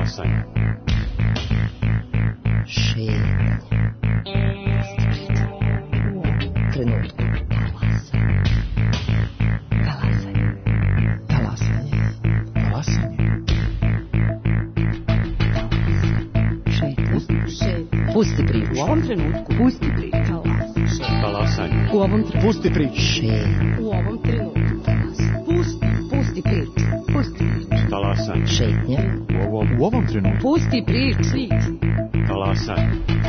Talasanje. Šetnje. Trenutku. Pusti priču. U ovom trenutku. Pusti priču. Talasanje. U ovom trenutku. Pusti priču. U ovom trenutku. Pusti priču. Pusti priču. Talasanje. Šetnje. U ovom trenutku. Pusti priču. Talasanje.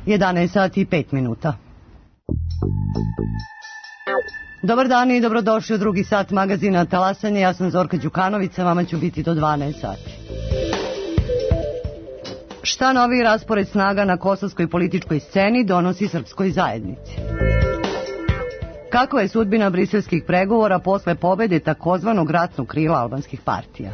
Jedanaest sati i 5 minuta. Dobar dan i dobrodošli u drugi sat magazina Talasanje. Ja sam Zorka Đukanović, sa vama ću biti do 12 sati. Šta novi raspored snaga na kosovskoj političkoj sceni donosi srpskoj zajednici? Kakva je sudbina briselskih pregovora posle pobede takozvanog ratnog krila albanskih partija?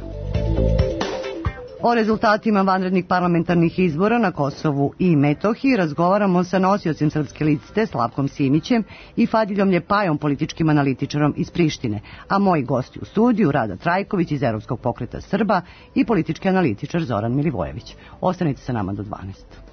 O rezultatima vanrednih parlamentarnih izbora na Kosovu i Metohiji razgovaramo sa nosiocem srpske liste Slavkom Simićem i Fadiljom Ljepajom, političkim analitičarom iz Prištine, a moji gosti u studiju Rada Trajković iz Evropskog pokreta Srba i politički analitičar Zoran Milivojević. Ostanite sa nama do 12.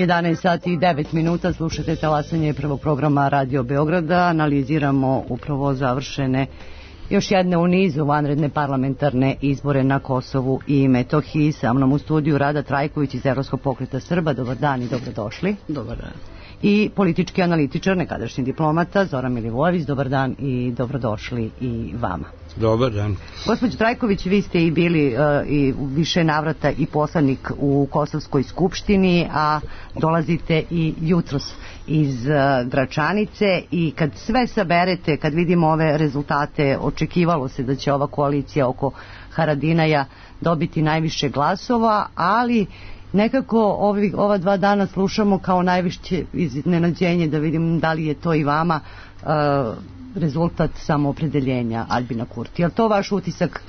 Jedanaest sati i 9 minuta, slušate Talasanje prvog programa Radio Beograda. Analiziramo upravo završene još jedne u nizu vanredne parlamentarne izbore na Kosovu i Metohiji. Sa mnom u studiju Rada Trajković iz Evropskog pokreta Srba. Dobar dan i dobrodošli. Dobar dan. i politički analitičar, nekadašnji diplomata Zoran Milivojević. Dobar dan i dobrodošli i vama. Dobar dan. Gospođo Trajković, vi ste i bili i u više navrata i poslanik u Kosovskoj skupštini, a dolazite i jutros iz Gračanice, i kad sve saberete, kad vidimo ove rezultate, očekivalo se da će ova koalicija oko Haradinaja dobiti najviše glasova, ali nekako ova 2 dana slušamo kao najviše iznenađenje, da vidim da li je to i vama rezultat samoopredeljenja Aljbina Kurtija. Je li to vaš utisak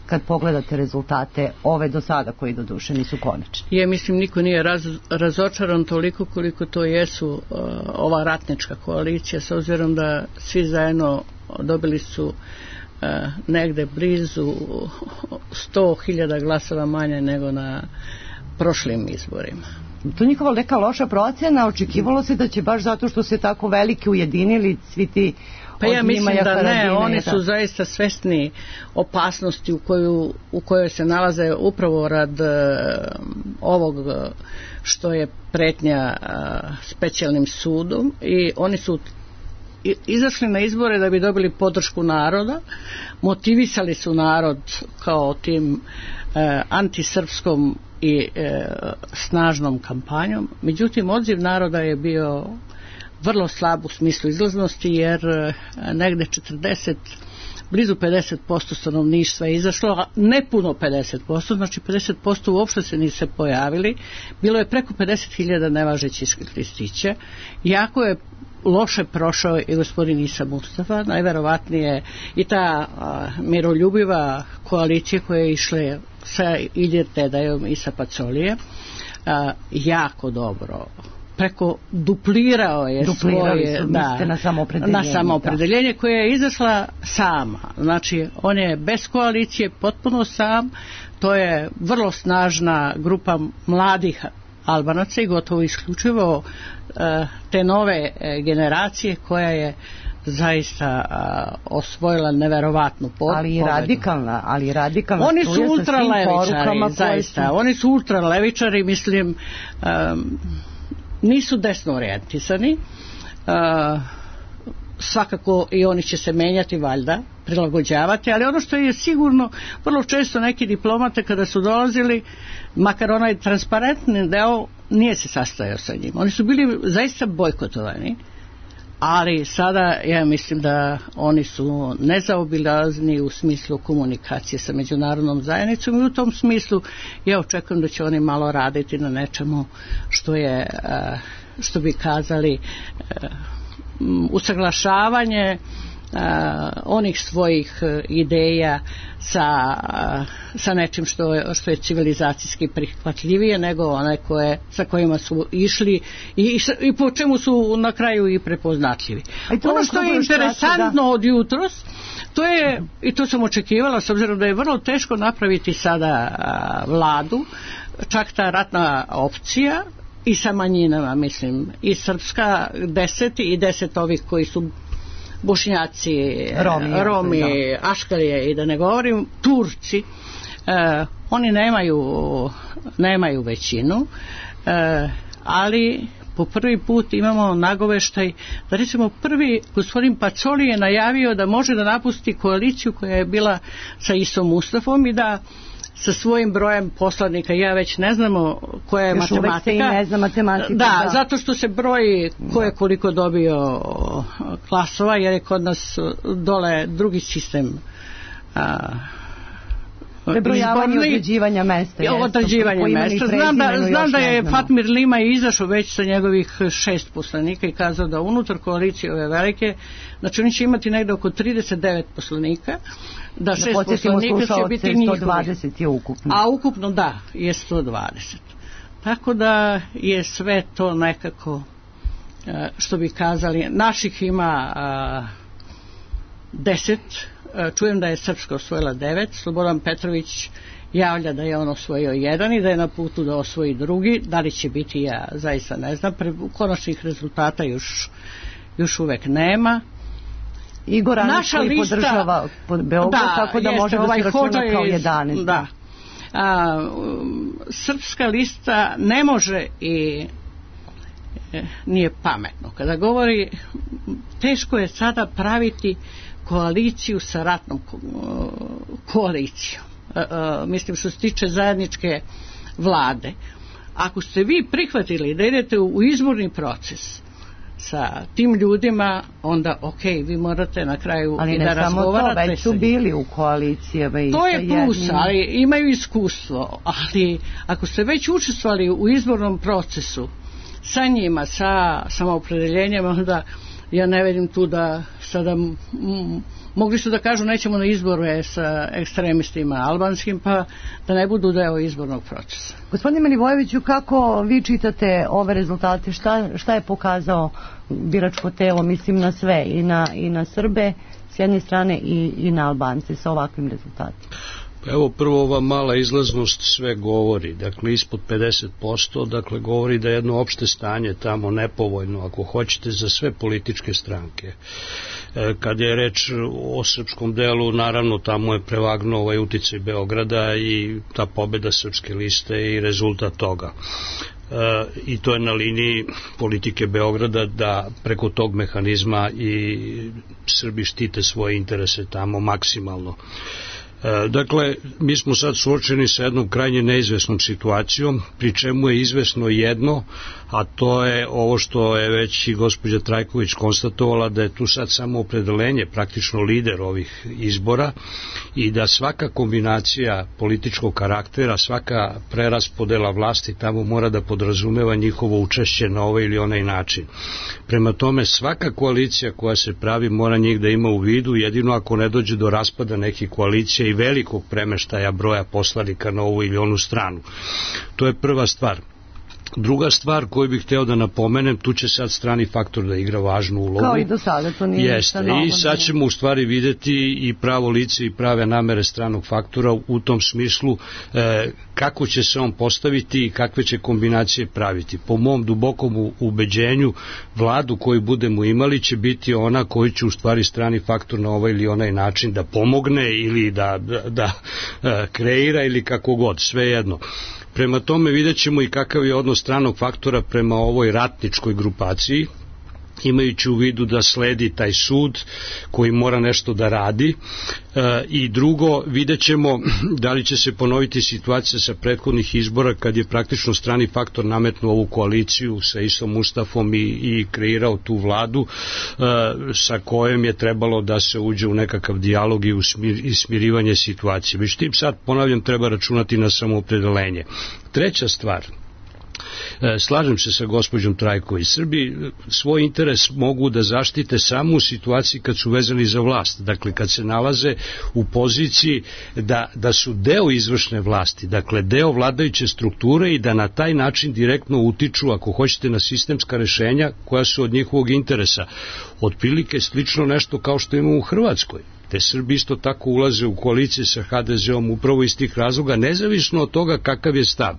kad pogledate rezultate ove do sada, koji doduše nisu konačni? Mislim, niko nije razočaran toliko koliko to jesu ova ratnička koalicija, s obzirom da svi zajedno dobili su negde blizu 100.000 glasova manje nego na prošlim izborima. To njihova neka loša procjena, očekivalo se da će baš zato što se tako veliki ujedinili svi ti. Pa ja mislim da ne, oni su zaista svesni opasnosti u kojoj se nalaze upravo rad ovog što je pretnja specijalnim sudom, i oni su izašli na izbore da bi dobili podršku naroda, motivisali su narod kao tim antisrpskom i snažnom kampanjom. Međutim, odziv naroda je bio vrlo slab u smislu izlaznosti, jer negde blizu 50% stanovništva je izašlo, a ne puno 50%, znači 50% uopšte se nisu pojavili. Bilo je preko 50.000 nevažećih listića. Jako je loše prošao i gospodin Isa Mustafa, najverovatnije i ta miroljubiva koalicija koja je išla sa Ilir Tedajom i sa Pacolije, jako dobro. Preko duplirao je svoje na samoopredeljenje koje je izašla sama. Znači, on je bez koalicije, potpuno sam. To je vrlo snažna grupa mladih Albanaca i gotovo isključivo te nove generacije koja je zaista osvojila neverovatnu pobedu. Ali i radikalna. Oni su ultralevičari, zaista. Oni su ultralevičari, mislim, nisu desno orijentisani. Svakako i oni će se menjati, valjda, prilagođavati, ali ono što je sigurno, vrlo često neki diplomate kada su dolazili, makar onaj transparentni deo nije se sastajao sa njim. Oni su bili zaista bojkotovani, ali sada ja mislim da oni su nezaobilazni u smislu komunikacije sa međunarodnom zajednicom, i u tom smislu ja očekujem da će oni malo raditi na nečemu što je, što bi kazali, usaglašavanje onih svojih ideja sa nečim što je civilizacijski prihvatljivije nego one sa kojima su išli i po čemu su na kraju i prepoznatljivi. Ono što je interesantno od jutros, to je, i to sam očekivala, s obzirom da je vrlo teško napraviti sada vladu, čak ta ratna opcija i sa manjinama, mislim, i srpska 10 i 10 ovih koji su Bošnjaci, Romi, Aškalije i da ne govorim, Turci, oni nemaju većinu, ali po prvi put imamo nagoveštaj da, recimo, prvi gospodin Pacoli je najavio da može da napusti koaliciju koja je bila sa Isom Mustafom i da sa svojim brojem poslanika, ja već ne znamo koja je matematika. Ne zna matematika. Da, zato što se broji ko je koliko dobio glasova, jer je kod nas dole drugi sistem prebrojavanje određivanja mesta. Znam da je Fatmir Lima izašao već sa njegovih 6 poslanika i kazao da unutar koalicije ove velike, znači oni će imati negde oko 39 poslanika, da 6 poslanika će biti njihovi. 120 je ukupno. A ukupno da, je 120. Tako da je sve to nekako, što bi kazali, naših ima 10, čujem da je Srpska osvojila 9, Slobodan Petrović javlja da je on osvojio 1 i da je na putu da osvoji drugi. Da li će biti, ja zaista ne znam, konačnih rezultata još uvek nema. Igor Anić koji podržava Beograd, tako da može da se računa kao 11. Da. Srpska lista ne može i nije pametno. Kada govori, teško je sada praviti koaliciju sa ratnom koalicijom. Mislim što se tiče zajedničke vlade. Ako ste vi prihvatili da idete u izborni proces sa tim ljudima, onda vi morate na kraju ali i da razgovarate. Ali ne samo to, već su bili u koalicijama. To je plus, ali imaju iskustvo. Ali ako ste već učestvovali u izbornom procesu sa njima, sa samoopredeljenjem, onda ja ne vidim tu da sada mogli su da kažu nećemo na izbore sa ekstremistima albanskim, pa da ne budu deo izbornog procesa. Gospodine Milivojeviću, kako vi čitate ove rezultate? Šta je pokazao biračko telo, mislim na sve, i na Srbe s jedne strane i na Albance sa ovakvim rezultatima? Evo, prvo ova mala izlaznost sve govori, dakle ispod 50%, dakle govori da je jedno opšte stanje tamo nepovoljno, ako hoćete, za sve političke stranke. Kad je reč o srpskom delu, naravno tamo je prevagnuo ovaj uticaj Beograda i ta pobeda Srpske liste i rezultat toga. I to je na liniji politike Beograda da preko tog mehanizma i Srbi štite svoje interese tamo maksimalno. Dakle, mi smo sad suočeni sa jednom krajnje neizvesnom situacijom, pri čemu je izvesno jedno, a to je ovo što je već i gospođa Trajković konstatovala, da je tu sad samo opredelenje, praktično lider ovih izbora, i da svaka kombinacija političkog karaktera, svaka preraspodela vlasti tamo mora da podrazumeva njihovo učešće na ovaj ili onaj način. Prema tome, svaka koalicija koja se pravi mora njih da ima u vidu, jedino ako ne dođe do raspada nekih koalicija i velikog premeštaja broja poslanika na ovu ili onu stranu. To je prva stvar. Druga stvar koju bih hteo da napomenem, tu će sad strani faktor da igra važnu ulogu. Kao i do sada, to nije ništa novo. I sad ćemo u stvari videti i pravo lice i prave namere stranog faktora u tom smislu kako će se on postaviti i kakve će kombinacije praviti. Po mom dubokom ubeđenju, vladu koju budemo imali će biti ona koju će u stvari strani faktor na ovaj ili onaj način da pomogne ili da kreira ili kako god, sve jedno. Prema tome vidjet ćemo i kakav je odnos stranog faktora prema ovoj ratničkoj grupaciji, imajući u vidu da sledi taj sud koji mora nešto da radi, i drugo, vidjet ćemo da li će se ponoviti situacija sa prethodnih izbora kad je praktično strani faktor nametnuo ovu koaliciju sa Isom Mustafom i kreirao tu vladu sa kojom je trebalo da se uđe u nekakav dijalog i smirivanje situacije. Već tim sad, ponavljam, treba računati na samoopredelenje. Treća stvar, slažem se sa gospođom Trajković, Srbi svoj interes mogu da zaštite samo u situaciji kad su vezani za vlast, dakle kad se nalaze u poziciji da su deo izvršne vlasti, dakle deo vladajuće strukture i da na taj način direktno utiču, ako hoćete, na sistemska rešenja koja su od njihovog interesa. Otprilike slično nešto kao što imamo u Hrvatskoj. Te Srbi isto tako ulaze u koalicije sa HDZ-om upravo iz tih razloga, nezavisno od toga kakav je stav.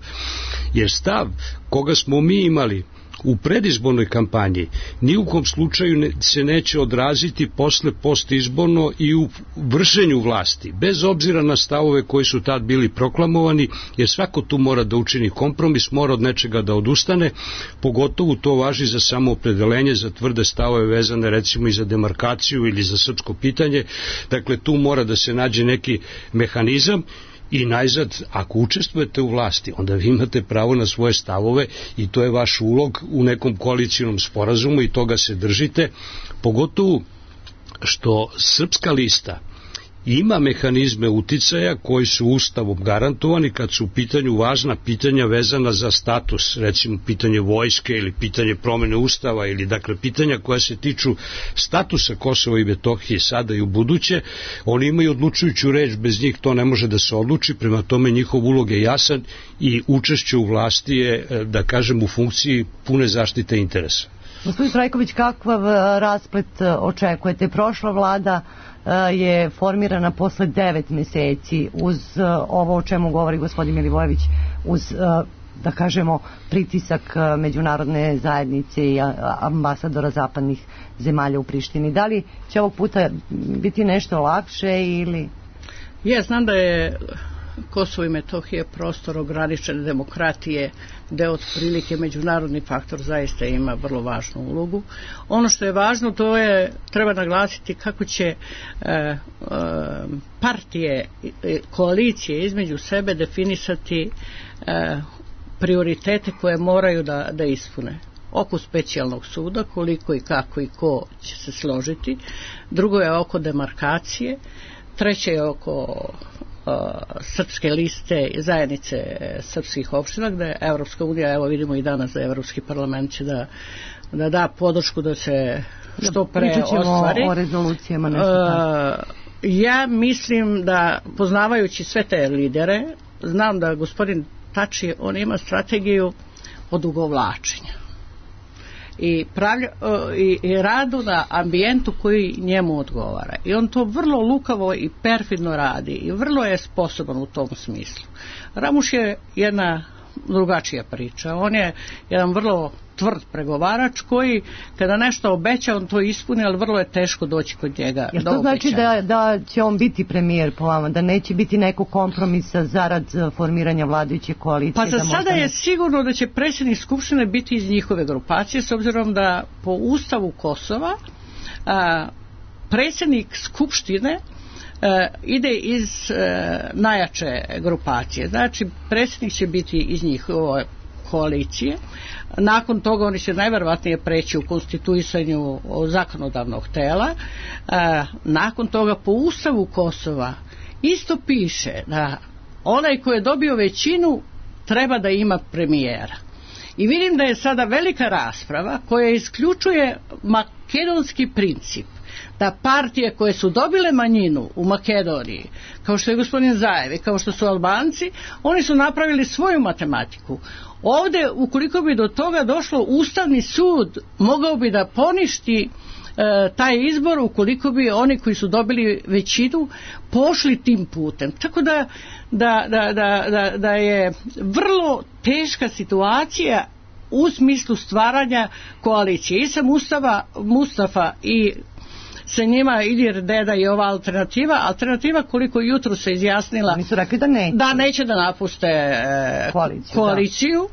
Jer stav koga smo mi imali u predizbornoj kampanji ni u kom slučaju se neće odraziti posle postizborno i u vršenju vlasti, bez obzira na stavove koji su tad bili proklamovani, jer svako tu mora da učini kompromis, mora od nečega da odustane, pogotovo to važi za samoopredelenje, za tvrde stavove vezane recimo i za demarkaciju ili za srpsko pitanje. Dakle, tu mora da se nađe neki mehanizam. I najzad, ako učestvujete u vlasti, onda vi imate pravo na svoje stavove i to je vaš ulog u nekom koalicijnom sporazumu i toga se držite, pogotovo što Srpska lista ima mehanizme uticaja koji su ustavom garantovani kad su u pitanju važna pitanja vezana za status, recimo pitanje vojske ili pitanje promene ustava ili dakle pitanja koja se tiču statusa Kosova i Metohije sada i u buduće. Oni imaju odlučujuću reč, bez njih to ne može da se odluči, prema tome njihov ulog je jasan i učešće u vlasti je, da kažem, u funkciji pune zaštite interesa. Gospodin Trajković, kakav rasplet očekujete? Prošla vlada je formirana posle 9 meseci uz ovo o čemu govori gospodin Milivojević, uz, da kažemo, pritisak međunarodne zajednice i ambasadora zapadnih zemalja u Prištini. Da li će ovog puta biti nešto lakše ili... Ja znam da je Kosovo i Metohija je prostor ograničene demokratije, gde otprilike međunarodni faktor zaista ima vrlo važnu ulogu. Ono što je važno, to je, treba naglasiti kako će partije, koalicije između sebe definisati prioritete koje moraju da ispune. Oko specijalnog suda, koliko i kako i ko će se složiti. Drugo je oko demarkacije. Treće je oko srpske liste zajednice srpskih opština, gde Evropska unija, evo vidimo i danas da Evropski parlament će da podršku da se što pre ostvari. O rezolucijama nešto. Ja mislim da, poznavajući sve te lidere, znam da gospodin Tači, on ima strategiju odugovlačenja i radu na ambijentu koji njemu odgovara. I on to vrlo lukavo i perfidno radi i vrlo je sposoban u tom smislu. Ramuš je jedna drugačija priča. On je jedan vrlo tvrd pregovarač koji kada nešto obeća on to ispuni, ali vrlo je teško doći kod njega. Jer to znači da će on biti premijer po vama, da neće biti nekog kompromisa zarad formiranja vladajuće koalicije? Pa za sada je sigurno da će predsjednik Skupštine biti iz njihove grupacije, s obzirom da po Ustavu Kosova predsjednik Skupštine ide iz najjače grupacije. Znači predsjednik će biti iz njihove koalicije. Nakon toga oni će najverovatnije preći u konstituisanju zakonodavnog tela. Nakon toga po Ustavu Kosova isto piše da onaj ko je dobio većinu treba da ima premijera. I vidim da je sada velika rasprava koja isključuje makedonski princip, da partije koje su dobile manjinu u Makedoniji, kao što je gospodin Zajev i kao što su Albanci, oni su napravili svoju matematiku. Ovdje, ukoliko bi do toga došlo, Ustavni sud mogao bi da poništi taj izbor ukoliko bi oni koji su dobili većinu pošli tim putem. Tako da je vrlo teška situacija u smislu stvaranja koalicije. I sa Mustafa i sa njima Ilir Deda i ova alternativa koliko jutro se izjasnila oni su rekli da neće da napuste koaliciju.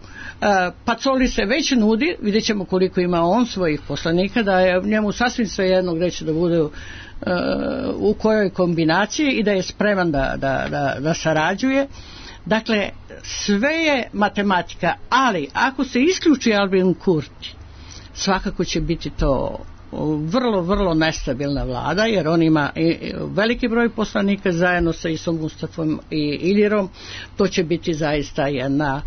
Pacoli se već nudi, vidjet ćemo koliko ima on svojih poslanika, da je njemu sasvim svejedno gdje će da bude u kojoj kombinaciji i da je spreman da sarađuje. Dakle, sve je matematika, ali ako se isključi Albin Kurti, svakako će biti to vrlo, vrlo nestabilna vlada, jer on ima veliki broj poslanika zajedno sa Isom Mustafom i Ilirom. To će biti zaista jedna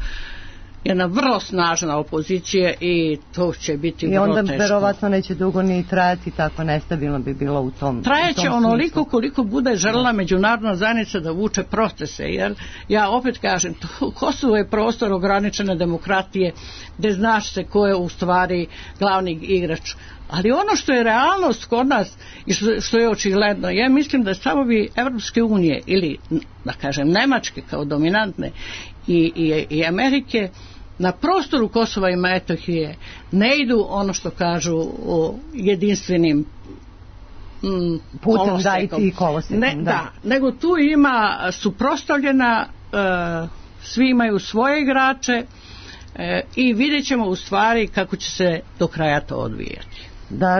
vrlo snažna opozicija i to će biti vrlo teško. I onda verovatno neće dugo ni trajati, tako nestabilno bi bilo u tom trajaće onoliko koliko bude željela međunarodna zajednica da vuče procese, jer ja opet kažem, Kosovo je prostor ograničene demokratije gdje znaš se ko je u stvari glavni igrač. Ali ono što je realnost kod nas i što je očigledno, ja mislim da stavovi Evropske unije ili da kažem Nemačke kao dominantne i Amerike na prostoru Kosova i Metohije ne idu ono što kažu o jedinstvenim putem dajti i kolosekom. Nego tu ima suprotstavljena, svi imaju svoje igrače i vidjet ćemo u stvari kako će se do kraja to odvijati.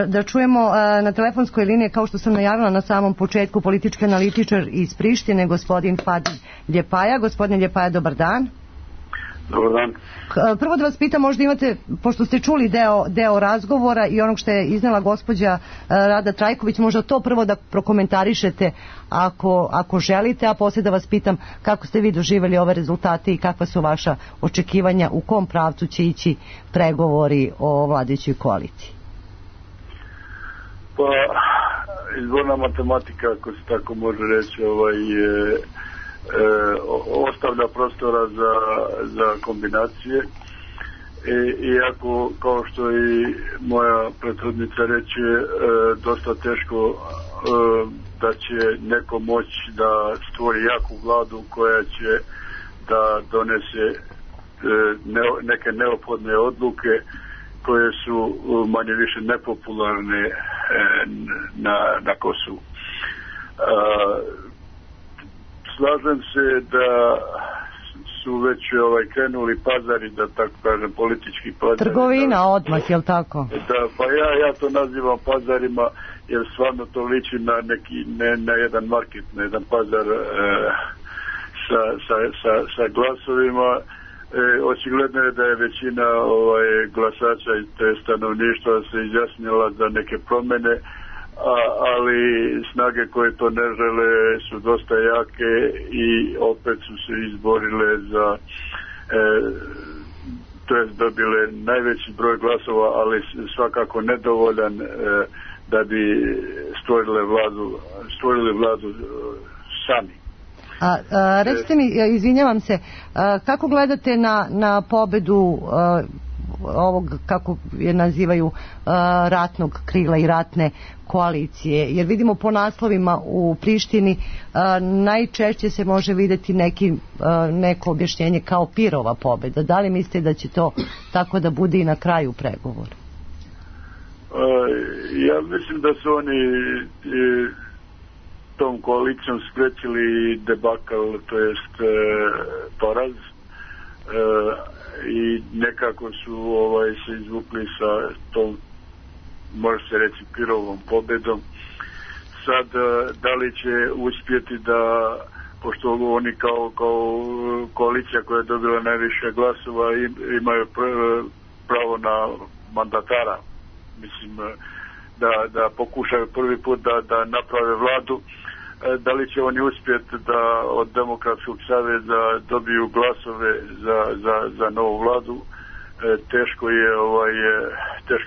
Da čujemo na telefonskoj liniji, kao što sam najavila na samom početku, politički analitičar iz Prištine, gospodin Fadil Ljepaja. Gospodine Ljepaja, dobar dan. Dobar dan. Prvo da vas pitam, možda imate, pošto ste čuli deo razgovora i onog što je iznela gospođa Rada Trajković, možda to prvo da prokomentarišete ako želite, a poslije da vas pitam kako ste vi doživjeli ove rezultate i kakva su vaša očekivanja, u kom pravcu će ići pregovori o vladajućoj koaliciji. Pa, izborna matematika, ako se tako može reći, ostavlja prostora za kombinacije. Iako, kao što i moja prethodnica reče, dosta teško da će neko moći da stvori jaku vladu koja će da donese neke neophodne odluke koje su manje više nepopularne na Kosovu. slažem se da su već krenuli pazari, da tako kažem, politički pazari. Trgovina odmah, je li tako? Da, pa ja to nazivam pazarima, jer stvarno to liči na neki, na jedan market, na jedan pazar sa glasovima. Očigledno je da je većina glasača i te stanovništva se izjasnila za neke promjene, ali snage koje to ne žele su dosta jake i opet su se izborile za to je dobile najveći broj glasova, ali svakako nedovoljan da bi stvorili vladu sami. Recite mi, izvinjavam se, kako gledate na pobedu ovog, kako je nazivaju, ratnog krila i ratne koalicije? Jer vidimo po naslovima u Prištini najčešće se može vidjeti neko objašnjenje kao Pirova pobeda. Da li mislite da će to tako da bude i na kraju pregovora? Ja mislim da su oni tom koalicijom spriječili debakal, to jest poraz, i nekako su se izvukli sa tom, može se reći, Pirovom pobedom. Sad, da li će uspjeti da, pošto oni kao koalicija koja je dobila najviše glasova imaju pravo na mandatara, mislim, da pokušaju prvi put da naprave vladu, da li će oni uspjeti da od Demokratskog saveza dobiju glasove za novu vladu, teško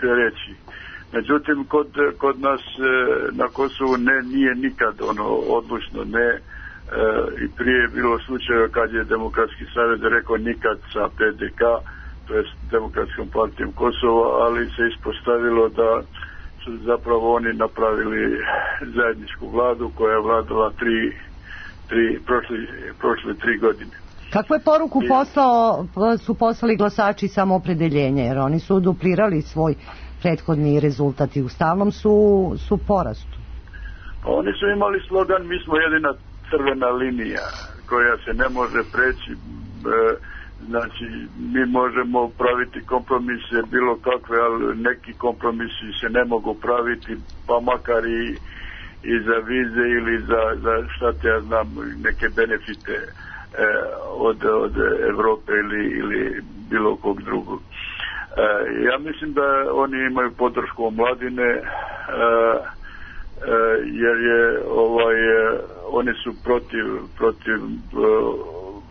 je reći. Međutim, kod nas na Kosovu nije nikad odlučno ne, i prije je bilo slučajeva kad je Demokratski savez rekao nikad sa PDK, to je Demokratskom partijom Kosova, ali se ispostavilo da su zapravo oni napravili zajedničku vladu koja je vladala prošle 3 godine. Kakvu je poruku su poslali glasači samoopredeljenja, jer oni su duplirali svoj prethodni rezultat i u stalnom su porastu? Oni su imali slogan mi smo jedina crvena linija koja se ne može preći, znači mi možemo praviti kompromise bilo kakve, ali neki kompromisi se ne mogu praviti, pa makar i za vize ili za šta te ja znam, neke benefite od Europe ili bilo kog drugog. Ja mislim da oni imaju podršku omladine, jer oni su protiv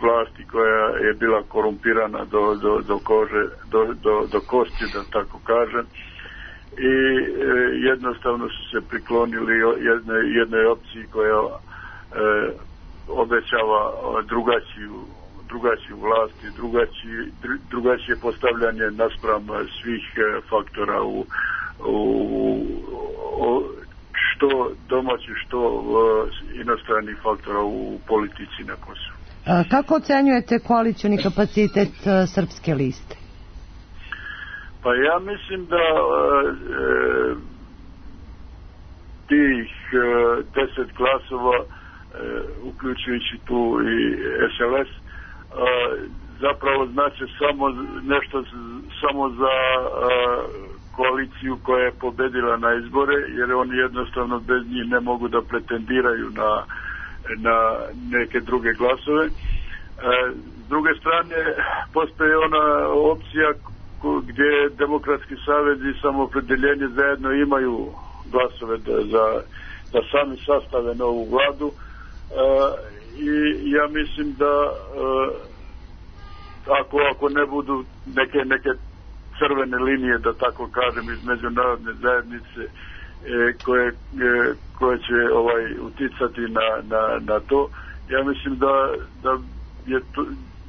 vlasti koja je bila korumpirana do kosti, da tako kažem, i jednostavno su se priklonili jednoj opciji koja obećava drugačiju vlast i drugačije postavljanje naspram svih faktora što domaći, što inostranih faktora u politici na Kosovu. Kako ocenjujete koalicioni kapacitet Srpske liste? Pa ja mislim da tih 10 glasova, uključujući tu i SLS, zapravo znači samo za koaliciju koja je pobedila na izbore, jer oni jednostavno bez njih ne mogu da pretendiraju na neke druge glasove. S druge strane, postoji ona opcija gdje Demokratski savez i Samoopredeljenje zajedno imaju glasove da sami sastave novu vladu, i ja mislim da ako ne budu neke crvene linije, da tako kažem, iz međunarodne zajednice koje će uticati na to, ja mislim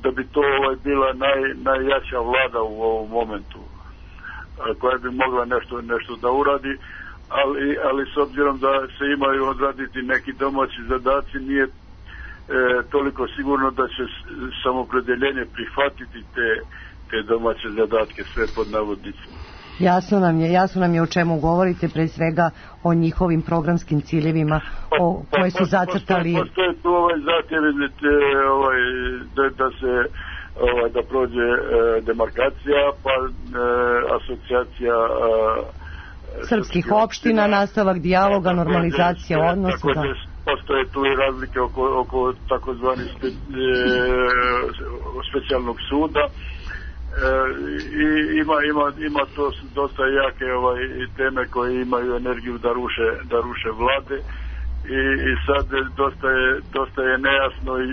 da bi to bila najjača vlada u ovom momentu, koja bi mogla nešto da uradi, ali s obzirom da se imaju odraditi neki domaći zadaci, nije toliko sigurno da će Samoopredeljenje prihvatiti te domaće zadatke, sve pod navodnicima. Jasno nam je o čemu govorite, pre svega o njihovim programskim ciljevima koje su zacrtali. Postoje tu zahtjevi da se da prođe demarkacija, pa asocijacija srpskih opština, nastavak dijaloga, normalizacija odnosa. Također postoje tu i razlike oko takozvani specijalnog suda. I ima to dosta jake teme koje imaju energiju da ruše vlade i sad dosta je nejasno i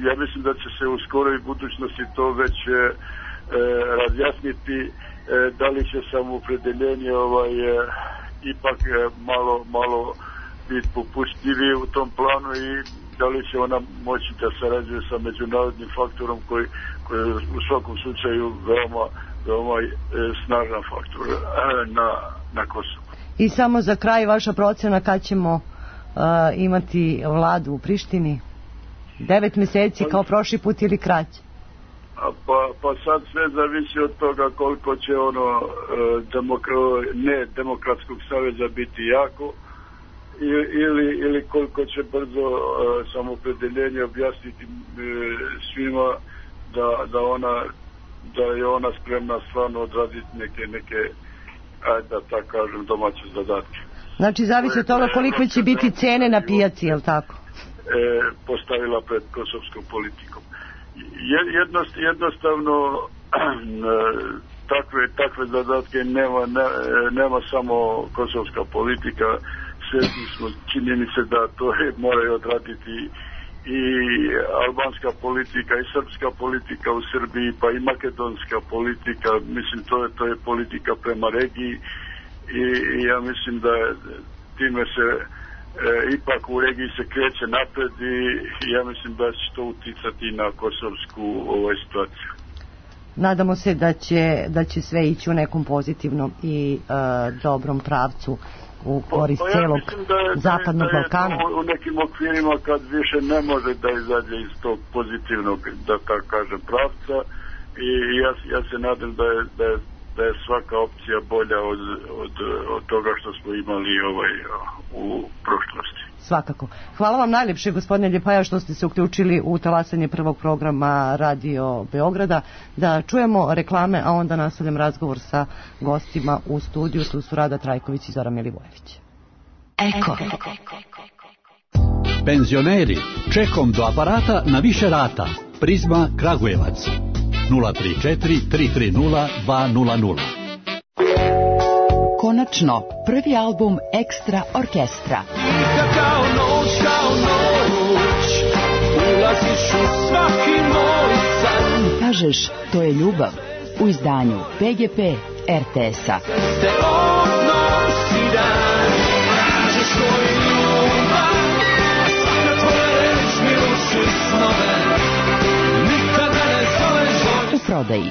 ja mislim da će se u skoroj budućnosti to već razjasniti, da li će samoopredeljenje ipak malo biti popustljivije u tom planu i da li će ona moći da sarađuje sa međunarodnim faktorom koji je u svakom slučaju veoma snažan faktor na Kosovu. I samo za kraj vaša procena kad ćemo imati vladu u Prištini? 9 meseci kao prošli put ili kraće? Pa sad sve zavisi od toga koliko će demokratskog saveza biti jako ili koliko će brzo samoopredeljenje objasniti svima da je ona spremna stvarno odraditi neke da tako kažem domaće zadatke. Znači zavisi od toga koliko će biti cene na pijaci, je li tako? Postavila pred kosovskom politikom. Jednostavno takve zadatke nema samo kosovska politika, svjesni smo činjenice da to moraju odraditi i albanska politika i srpska politika u Srbiji, pa i makedonska politika, mislim to je politika prema regiji i ja mislim da time se ipak u regiji se kreće napred i ja mislim da će to uticati na kosovsku situaciju. Nadamo se da će sve ići u nekom pozitivnom i dobrom pravcu u korist celog Zapadnog Balkana. U nekim okvirima kad više ne može da izađe iz tog pozitivnog, da tako kažem, pravca i ja se nadam da je svaka opcija bolja od toga što smo imali u prošlosti. Svakako. Hvala vam najljepše, gospodine Ljepaja, što ste se uključili u talasanje prvog programa Radio Beograda. Da čujemo reklame, a onda nastavljam razgovor sa gostima u studiju. Tu su Rada Trajković i Zoran Milivojević. Eko. Penzioneri, čekom do aparata na više rata. Prizma Kragujevac. 034 330 200. Konačno, prvi album Ekstra orkestra. Kao noć, ulaziš u svaki moj san. Kažeš, to je ljubav, u izdanju PGP RTS-a. Te odnosi dan, kažeš to je ljubav, a svaka tvoja reč mi ruši snove, nikada ne zoveš. U prodaji.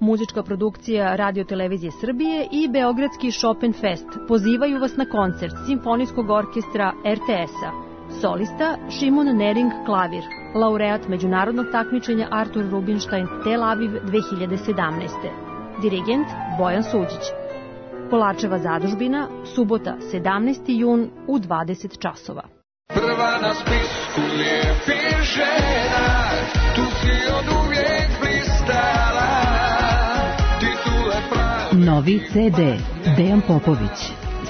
Muzička produkcija Radio-televizije Srbije i Beogradski Chopin Fest pozivaju vas na koncert Simfonijskog orkestra RTS-a. Solista Šimon Nering klavir, laureat međunarodnog takmičenja Artur Rubinstein Tel Aviv 2017. Dirigent Bojan Suđić. Kolačeva zadužbina, subota 17. jun u 20 časova. Prva na spisku lijepih žena, tu si od uvijek blistala. Novi CD Dejan Popović,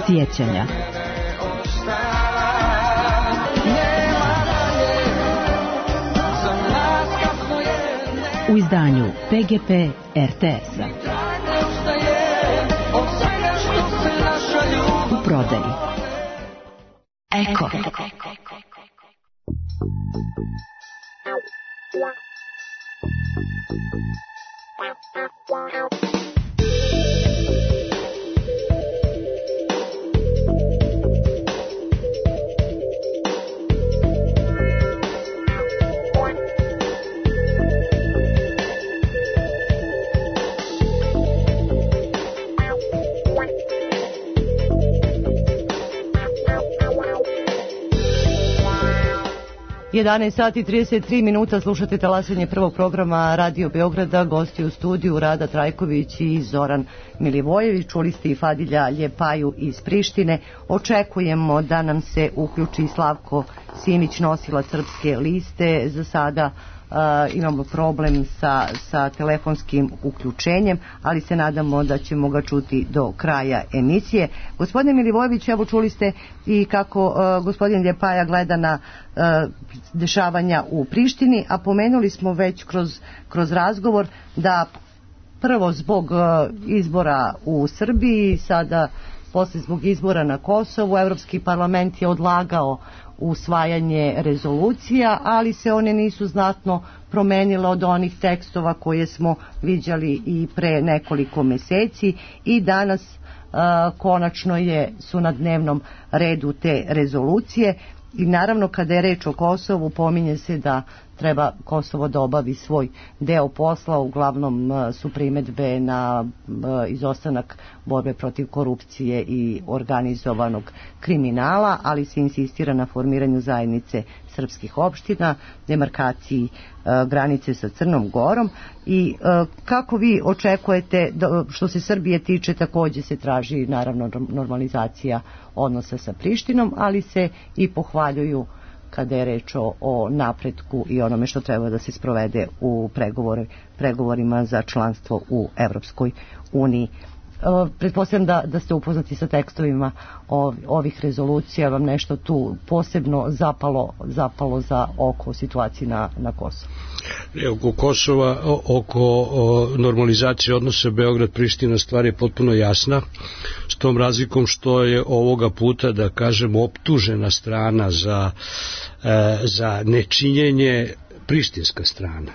Sjećanja. U izdanju PGP RTS-a. U prodaji. Eko. 11 sati 33 minuta, slušate talasanje prvog programa Radio Beograda, gosti u studiju Rada Trajković i Zoran Milivojević, čuli ste i Fadilja Ljepaju iz Prištine. Očekujemo da nam se uključi Slavko Simić, nosilac Srpske liste. Za sada imamo problem sa telefonskim uključenjem, ali se nadamo da ćemo ga čuti do kraja emisije. Gospodine Milivojević, evo čuli ste i kako gospodin Ljepaja gleda na dešavanja u Prištini, a pomenuli smo već kroz razgovor da prvo zbog izbora u Srbiji, sada posle zbog izbora na Kosovu, Evropski parlament je odlagao usvajanje rezolucija, ali se one nisu znatno promenile od onih tekstova koje smo viđali i pre nekoliko meseci i danas konačno su na dnevnom redu te rezolucije. I naravno kada je reč o Kosovu pominje se da treba Kosovo da obavi svoj deo posla, uglavnom su primedbe na izostanak borbe protiv korupcije i organizovanog kriminala, ali se insistira na formiranju zajednice srpskih opština, demarkaciji granice sa Crnom Gorom. I kako vi očekujete, što se Srbije tiče, takođe se traži naravno normalizacija odnosa sa Prištinom, ali se i pohvaljuju kada je reč o napretku i onome što treba da se sprovede u pregovorima za članstvo u Evropskoj uniji. Pretpostavljam da ste upoznati sa tekstovima ovih rezolucija, vam nešto tu posebno zapalo za oko situaciji na Kosovu? Oko Kosova, oko normalizacije odnosa Beograd-Priština stvar je potpuno jasna, s tom razlikom što je ovoga puta, da kažemo, optužena strana za nečinjenje prištinska strana.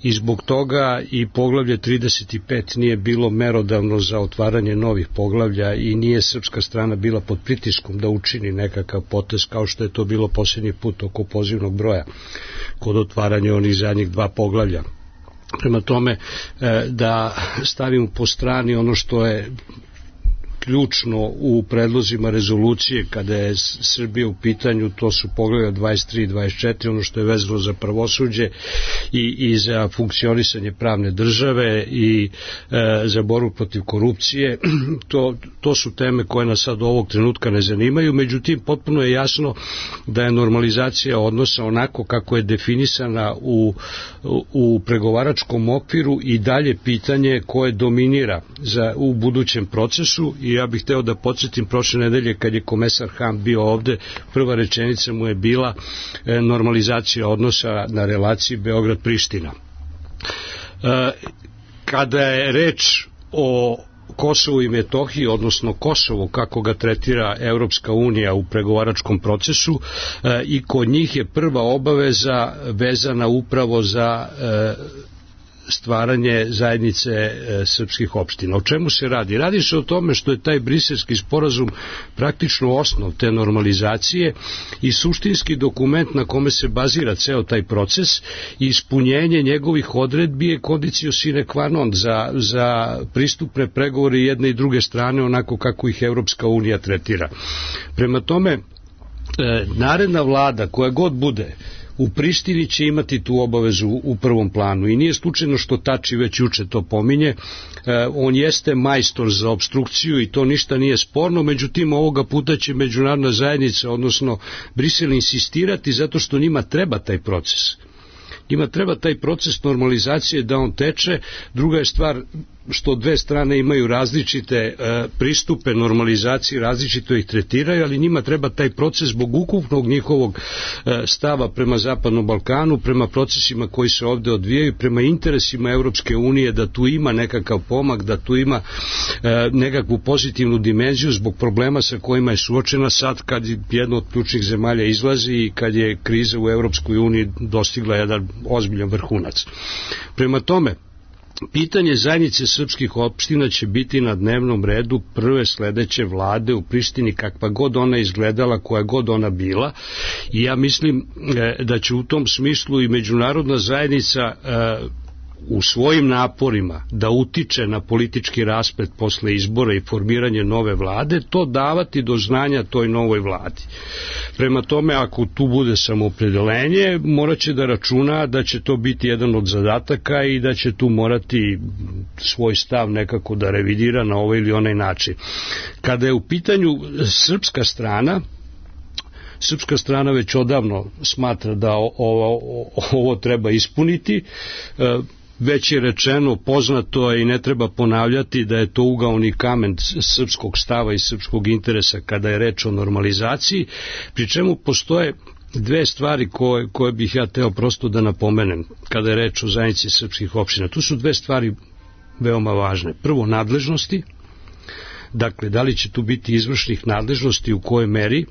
I zbog toga i poglavlje 35 nije bilo merodavno za otvaranje novih poglavlja i nije srpska strana bila pod pritiskom da učini nekakav potez kao što je to bilo posljednji put oko pozivnog broja kod otvaranja onih zadnjih 2 poglavlja. Prema tome da stavimo po strani ono što je ključno u predlozima rezolucije kada je Srbija u pitanju, to su poglavlja 23 i 24, ono što je vezano za pravosuđe i za funkcionisanje pravne države i za borbu protiv korupcije. To su teme koje nas sad ovog trenutka ne zanimaju, međutim potpuno je jasno da je normalizacija odnosa onako kako je definisana u pregovaračkom okviru i dalje pitanje koje dominira u budućem procesu. I ja bih hteo da podsjetim, prošle nedelje kad je komesar Hahn bio ovde, prva rečenica mu je bila normalizacija odnosa na relaciji Beograd-Priština. Kada je reč o Kosovu i Metohiji, odnosno Kosovo kako ga tretira Evropska unija u pregovaračkom procesu, i kod njih je prva obaveza vezana upravo za stvaranje zajednice srpskih opština. O čemu se radi? Radi se o tome što je taj briselski sporazum praktično osnov te normalizacije i suštinski dokument na kome se bazira ceo taj proces i ispunjenje njegovih odredbi je condicio sine qua non za pristupne pregovore jedne i druge strane onako kako ih Evropska unija tretira. Prema tome, naredna vlada koja god bude u Prištini će imati tu obavezu u prvom planu i nije slučajno što Tači već juče to pominje. On jeste majstor za opstrukciju i to ništa nije sporno, međutim ovoga puta će međunarodna zajednica, odnosno Brisel, insistirati zato što njima treba taj proces. Njima treba taj proces normalizacije da on teče. Druga je stvar što dve strane imaju različite pristupe normalizaciji, različito ih tretiraju, ali njima treba taj proces zbog ukupnog njihovog stava prema Zapadnom Balkanu, prema procesima koji se ovde odvijaju, prema interesima Evropske unije, da tu ima nekakav pomak, da tu ima nekakvu pozitivnu dimenziju zbog problema sa kojima je suočena sad kad jedna od ključnih zemalja izlazi i kad je kriza u Evropskoj uniji dostigla jedan ozbiljan vrhunac. Prema tome, pitanje zajednice srpskih opština će biti na dnevnom redu prve sledeće vlade u Prištini, kakva god ona izgledala, koja god ona bila, i ja mislim da će u tom smislu i međunarodna zajednica u svojim naporima da utiče na politički rasplet posle izbora i formiranje nove vlade, to davati do znanja toj novoj vladi. Prema tome, ako tu bude samoopredelenje, morat će da računa da će to biti jedan od zadataka i da će tu morati svoj stav nekako da revidira na ovaj ili onaj način. Kada je u pitanju srpska strana već odavno smatra da ovo treba ispuniti. Već je rečeno, poznato je i ne treba ponavljati da je to ugaoni kamen srpskog stava i srpskog interesa kada je reč o normalizaciji, pri čemu postoje dve stvari koje bih ja teo prosto da napomenem kada je reč o zajednici srpskih opština. Tu su dve stvari veoma važne. Prvo, nadležnosti. Dakle, da li će tu biti izvršnih nadležnosti, u kojoj meri,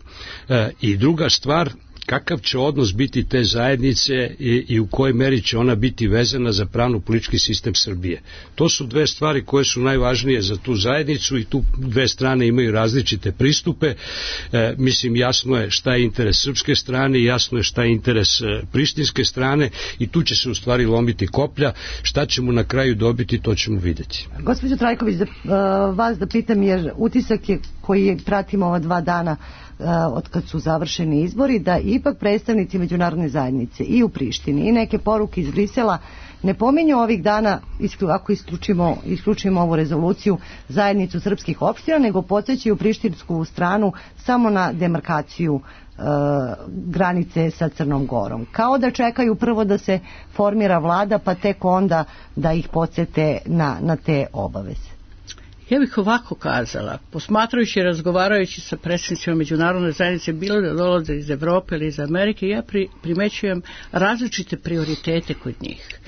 i druga stvar, kakav će odnos biti te zajednice i u kojoj meri će ona biti vezana za pravno-politički sistem Srbije. To su dve stvari koje su najvažnije za tu zajednicu i tu dve strane imaju različite pristupe. Mislim, jasno je šta je interes srpske strane, jasno je šta je interes prištinske strane i tu će se u stvari lomiti koplja. Šta ćemo na kraju dobiti, to ćemo vidjeti. Gospođo Trajković, vas da pitam, jer utisak je koji pratimo ova 2 dana od kad su završeni izbori, da ipak predstavnici međunarodne zajednice i u Prištini i neke poruke iz Brisela ne pominju ovih dana, ako isključimo ovu rezoluciju, zajednicu srpskih opština, nego podsjećaju prištinsku stranu samo na demarkaciju granice sa Crnom Gorom. Kao da čekaju prvo da se formira vlada, pa tek onda da ih podsjete na te obaveze. Ja bih ovako kazala, posmatrajući i razgovarajući sa predstavnicima međunarodne zajednice, bilo da dolaze iz Evrope ili iz Amerike, ja primećujem različite prioritete kod njih.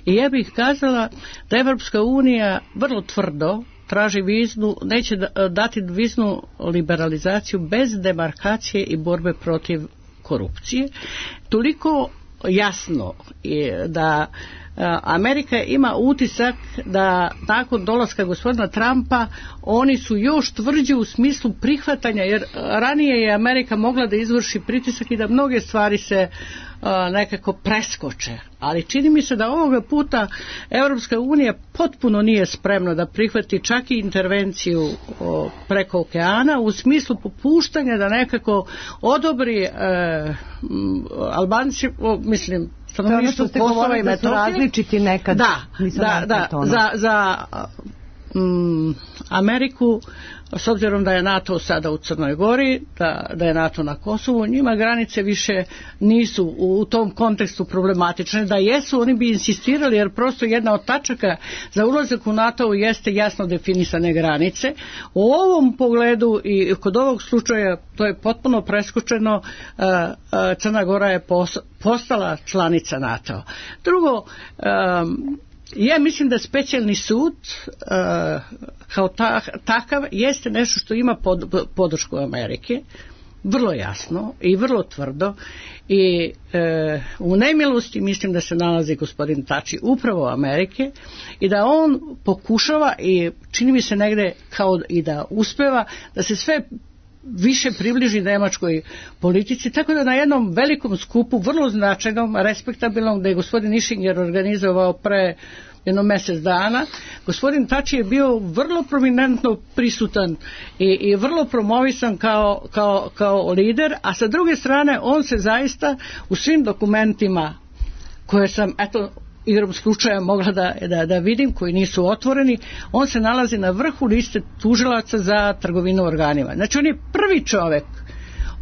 I ja bih kazala da Evropska unija vrlo tvrdo traži viznu, neće dati viznu liberalizaciju bez demarkacije i borbe protiv korupcije. Toliko jasno je da Amerika ima utisak da nakon dolaska gospodina Trumpa oni su još tvrđi u smislu prihvatanja, jer ranije je Amerika mogla da izvrši pritisak i da mnoge stvari se nekako preskoče. Ali čini mi se da ovoga puta Evropska unija potpuno nije spremna da prihvati čak i intervenciju preko okeana u smislu popuštanja da nekako odobri Albanci, mislim, stanovništvo Kosova i Metohije. Da su različiti nekad. Za Ameriku, s obzirom da je NATO sada u Crnoj Gori, da je NATO na Kosovu, njima granice više nisu u tom kontekstu problematične. Da jesu, oni bi insistirali, jer prosto jedna od tačaka za ulazak u NATO jeste jasno definisane granice. U ovom pogledu i kod ovog slučaja to je potpuno preskočeno. Crna Gora je postala članica NATO. Drugo, ja mislim da specijalni sud kao takav jeste nešto što ima podršku Amerike, vrlo jasno i vrlo tvrdo, i u nemilosti mislim da se nalazi gospodin Tači upravo Amerike i da on pokušava i čini mi se negde kao i da uspeva da se sve više približi nemačkoj politici, tako da na jednom velikom skupu, vrlo značajnom, respektabilnom, da je gospodin Ischinger organizovao pre jedno mjesec dana, gospodin Tači je bio vrlo prominentno prisutan i vrlo promovisan kao lider, a sa druge strane on se zaista u svim dokumentima koje sam, igrom slučaja mogla da vidim, koji nisu otvoreni, on se nalazi na vrhu liste tužilaca za trgovinu organima. Znači on je prvi čovjek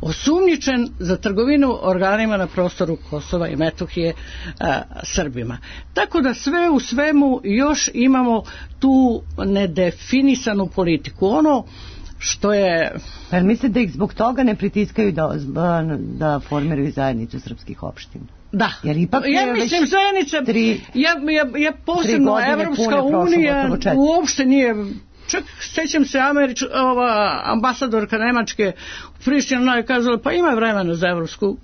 osumnjičen za trgovinu organima na prostoru Kosova i Metohije Srbima. Tako da sve u svemu još imamo tu nedefinisanu politiku. Ono što je... Pa mislite da ih zbog toga ne pritiskaju da formiraju zajednicu srpskih opština? Da, ja mislim zajednica, ja posebno Evropska unija uopšte nije, čak sećam se ambasadorka Nemačke u Prištini je kazala pa ima vremena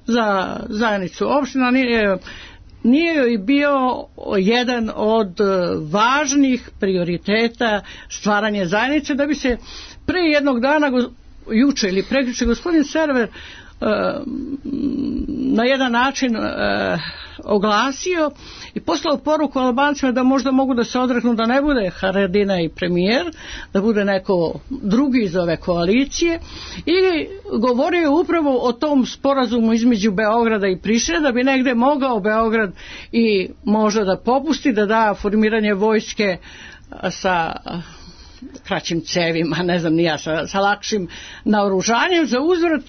za zajednicu opština, nije joj bio jedan od važnih prioriteta stvaranje zajednice, da bi se pre jednog dana, juče ili prekjuče, gospodin Server na jedan način oglasio i poslao poruku Albancima da možda mogu da se odreknu da ne bude Haradinaj premijer, da bude neko drugi iz ove koalicije, i govorio upravo o tom sporazumu između Beograda i Prištine, da bi negde mogao Beograd i možda da popusti, da da formiranje vojske sa kraćim cevima, ne znam ni ja, sa lakšim naoružanjem, za uzvrat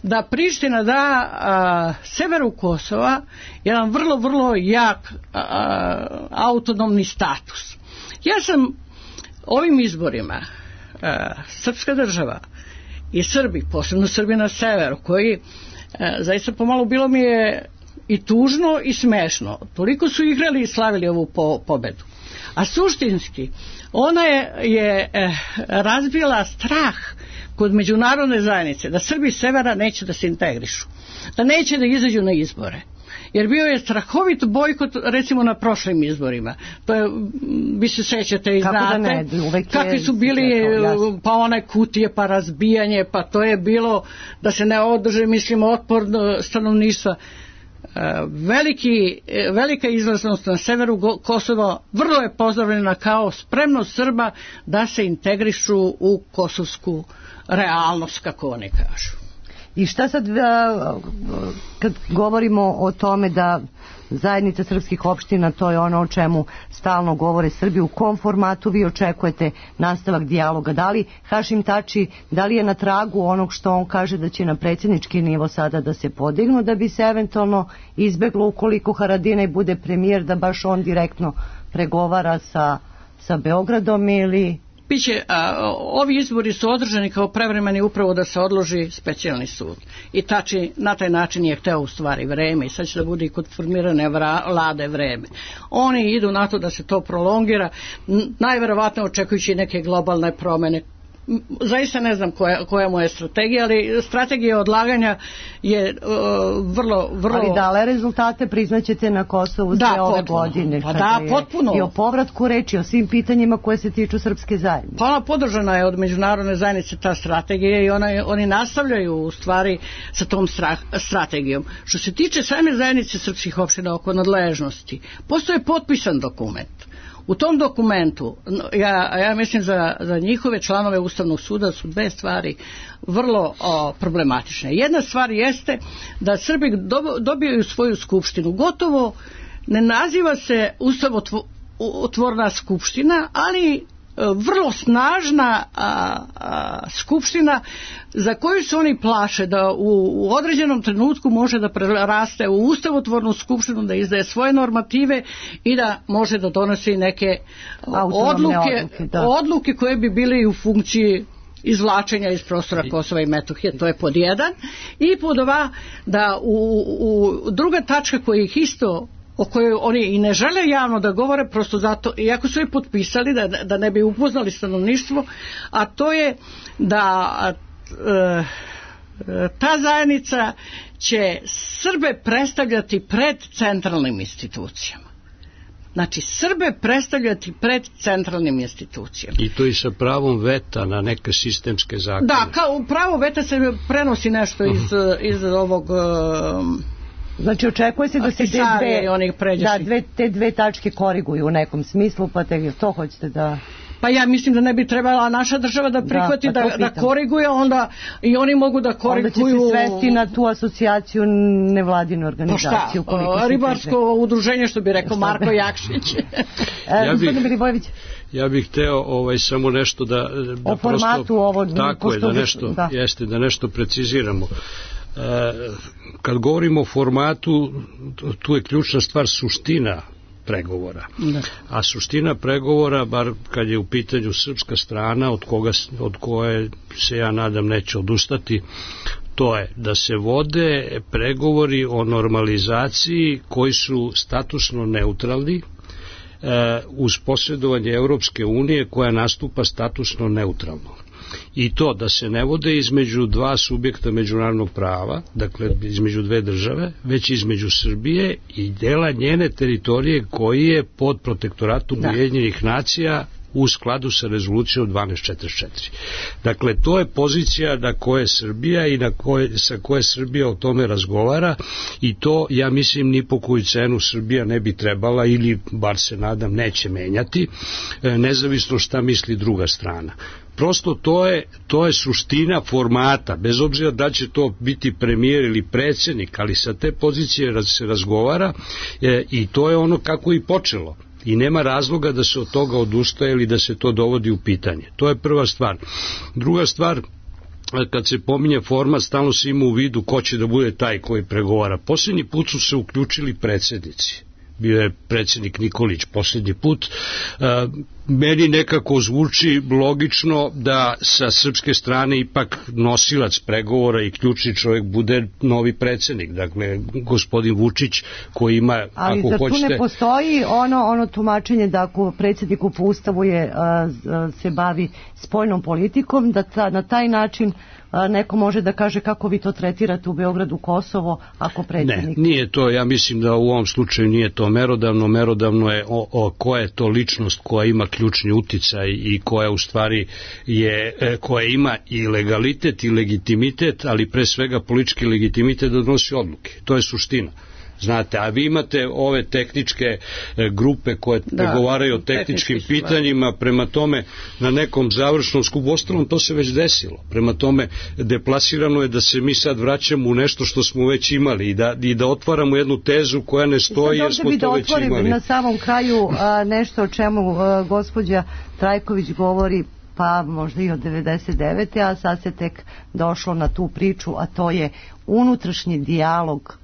da Priština da severu Kosova jedan vrlo, vrlo jak autonomni status. Ja sam ovim izborima srpska država i Srbi, posebno Srbi na severu, koji zaista pomalo bilo mi je i tužno i smešno. Toliko su igrali i slavili ovu pobedu. A suštinski ona je razbila strah kod međunarodne zajednice da Srbi severa neće da se integrišu, da neće da izađu na izbore. Jer bio je strahovit bojkot recimo na prošlim izborima. To je, vi se sećate i znate kakvi su bili, pa one kutije, pa razbijanje, pa to je bilo da se ne održe, mislim, otpor stanovništva. Velika izlaznost na severu Kosova vrlo je pozdravljena kao spremnost Srba da se integrišu u kosovsku realnost, kako oni kažu. I šta sad kad govorimo o tome da zajednica srpskih opština, to je ono o čemu stalno govore Srbi, u kom formatu vi očekujete nastavak dijaloga? Da li Hašim Tači, da li je na tragu onog što on kaže da će na predsjednički nivo sada da se podignu, da bi se eventualno izbeglo ukoliko Haradinaj bude premijer, da baš on direktno pregovara sa Beogradom, ili... Biće, ovi izbori su održani kao prevremeni upravo da se odloži specijalni sud. I Tači na taj način je hteo u stvari vreme i sad će da bude i kod formirane vlade vreme. Oni idu na to da se to prolongira, najverovatno očekujući neke globalne promjene. Zaista ne znam koja mu je strategija, ali strategija odlaganja je vrlo... Ali dale rezultate priznaćete na Kosovu sve ove godine. Pa da, potpuno. I o povratku reči, o svim pitanjima koje se tiču srpske zajednice. Pa ona podržana je od međunarodne zajednice ta strategija i oni nastavljaju u stvari sa tom strategijom. Što se tiče same zajednice srpskih opština oko nadležnosti, postoje potpisan dokument. U tom dokumentu, ja mislim za njihove članove Ustavnog suda su dve stvari vrlo problematične. Jedna stvar jeste da Srbi dobijaju svoju skupštinu. Gotovo ne naziva se ustavotvorna skupština, ali vrlo snažna skupština za koju se oni plaše da u određenom trenutku može da preraste u ustavotvornu skupštinu, da izdaje svoje normative i da može da donosi neke odluke koje bi bile u funkciji izvlačenja iz prostora Kosova i Metohije. To je pod jedan. I pod dva, da druga tačka koja ih isto, o kojoj oni i ne žele javno da govore, prosto zato, iako su je potpisali da ne bi upoznali stanovništvo, a to je da ta zajednica će Srbe predstavljati pred centralnim institucijama. Znači, Srbe predstavljati pred centralnim institucijama. I to i sa pravom veta na neke sistemske zakone. Da, kao pravo veta se prenosi nešto iz ovog... Znači, očekuje se da se te dve tačke koriguju u nekom smislu, pa to hoćete da... Pa ja mislim da ne bi trebala naša država da prihvati da koriguje, onda i oni mogu da koriguju... Onda će se svesti na tu asocijaciju nevladinu organizaciju. Pa šta, ribarsko udruženje, što bi rekao Marko Jakšić. Ja bih hteo samo nešto da o formatu ovo... Tako je, da nešto preciziramo. Kad govorimo o formatu, tu je ključna stvar suština pregovora. A suština pregovora, bar kad je u pitanju srpska strana, od koje se ja nadam neće odustati, to je da se vode pregovori o normalizaciji koji su statusno neutralni, uz posredovanje Evropske unije koja nastupa statusno neutralno. I to da se ne vode između dva subjekta međunarodnog prava, dakle između dve države, već između Srbije i dela njene teritorije koji je pod protektoratom Ujedinjenih nacija u skladu sa rezolucijom 1244. Dakle, to je pozicija na koje Srbija i sa koje Srbija o tome razgovara i to, ja mislim, ni po koju cenu Srbija ne bi trebala ili, bar se nadam, neće menjati, nezavisno šta misli druga strana. Prosto to je suština formata, bez obzira da će to biti premijer ili predsjednik, ali sa te pozicije se razgovara i to je ono kako i počelo. I nema razloga da se od toga odustaje ili da se to dovodi u pitanje. To je prva stvar. Druga stvar, kad se pominje format, stalno se ima u vidu ko će da bude taj koji pregovara. Posljednji put su se uključili predsjednici. Bio je predsjednik Nikolić posljednji put. Meni nekako zvuči logično da sa srpske strane ipak nosilac pregovora i ključni čovjek bude novi predsjednik, dakle gospodin Vučić koji ima, ali ako hoćete... Ali zar tu ne postoji ono tumačenje da ako predsjedniku po ustavu se bavi spoljnom politikom, da na taj način neko može da kaže kako vi to tretirate u Beogradu, Kosovo, ako predsjednik... Ne, nije to, ja mislim da u ovom slučaju nije to merodavno je koja je to ličnost koja ima ključni uticaj i koja u stvari koja ima i legalitet i legitimitet, ali pre svega politički legitimitet da donosi odluke. To je suština. Znate, a vi imate ove tehničke grupe koje pregovaraju o tehničkim pitanjima, prema tome na nekom završnom skupu, ostalom to se već desilo. Prema tome deplasirano je da se mi sad vraćamo u nešto što smo već imali i da otvaramo jednu tezu koja ne stoji jer smo to već imali. Na samom kraju nešto o čemu gospođa Trajković govori, pa možda i od 99. a sad se tek došlo na tu priču, a to je unutrašnji dijalog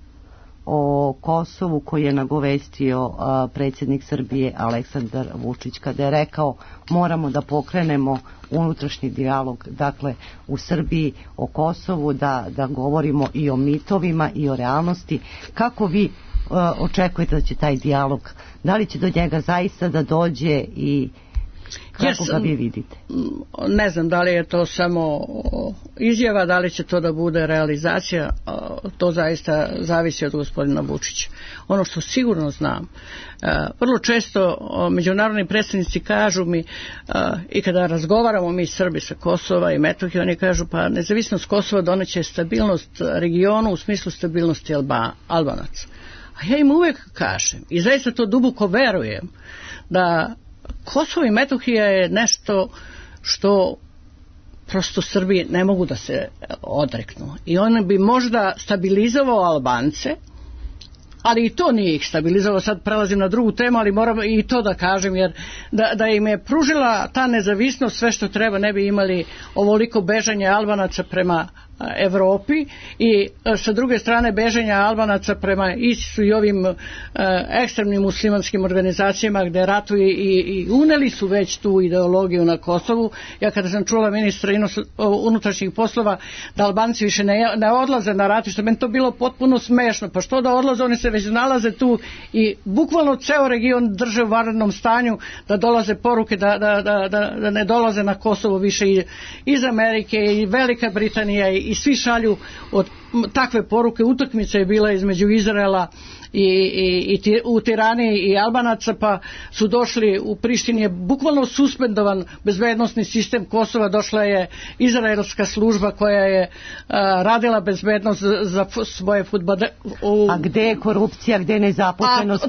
o Kosovu koji je nagovestio predsjednik Srbije Aleksandar Vučić kada je rekao moramo da pokrenemo unutrašnji dijalog, dakle u Srbiji o Kosovu, da govorimo i o mitovima i o realnosti. Kako vi očekujete da će taj dijalog, da li će do njega zaista da dođe i kako ga vi vidite? Ne znam da li je to samo izjava, da li će to da bude realizacija, to zaista zavisi od gospodina Vučića. Ono što sigurno znam, vrlo često međunarodni predstavnici kažu mi i kada razgovaramo mi Srbi sa Kosova i Metohije, oni kažu pa nezavisnost Kosova doneće stabilnost regionu u smislu stabilnosti Albanaca. A ja im uvek kažem i zaista to duboko verujem da Kosovo i Metohija je nešto što prosto Srbi ne mogu da se odreknu. I on bi možda stabilizovao Albance, ali i to nije ih stabilizovao. Sad prelazim na drugu temu, ali moram i to da kažem, jer da im je pružila ta nezavisnost sve što treba, ne bi imali ovoliko bežanje Albanaca prema Evropi i sa druge strane beženja Albanaca prema ISIS-u i ovim ekstremnim muslimanskim organizacijama gde ratuju i uneli su već tu ideologiju na Kosovu. Ja kada sam čula ministra unutrašnjih poslova da Albanci više ne odlaze na ratište, meni to bilo potpuno smešno, pa što da odlaze, oni se već nalaze tu i bukvalno ceo region drže u vanrednom stanju, da dolaze poruke da ne dolaze na Kosovo više iz Amerike i Velika Britanija i svi šalju od takve poruke. Utakmica je bila između Izraela i u Tirani i Albanaca, pa su došli u Prištini, je bukvalno suspendovan bezbednosni sistem Kosova, došla je izraelska služba koja je radila bezbednost za svoje fudbalere. A gde je korupcija, gde je nezaposlenost?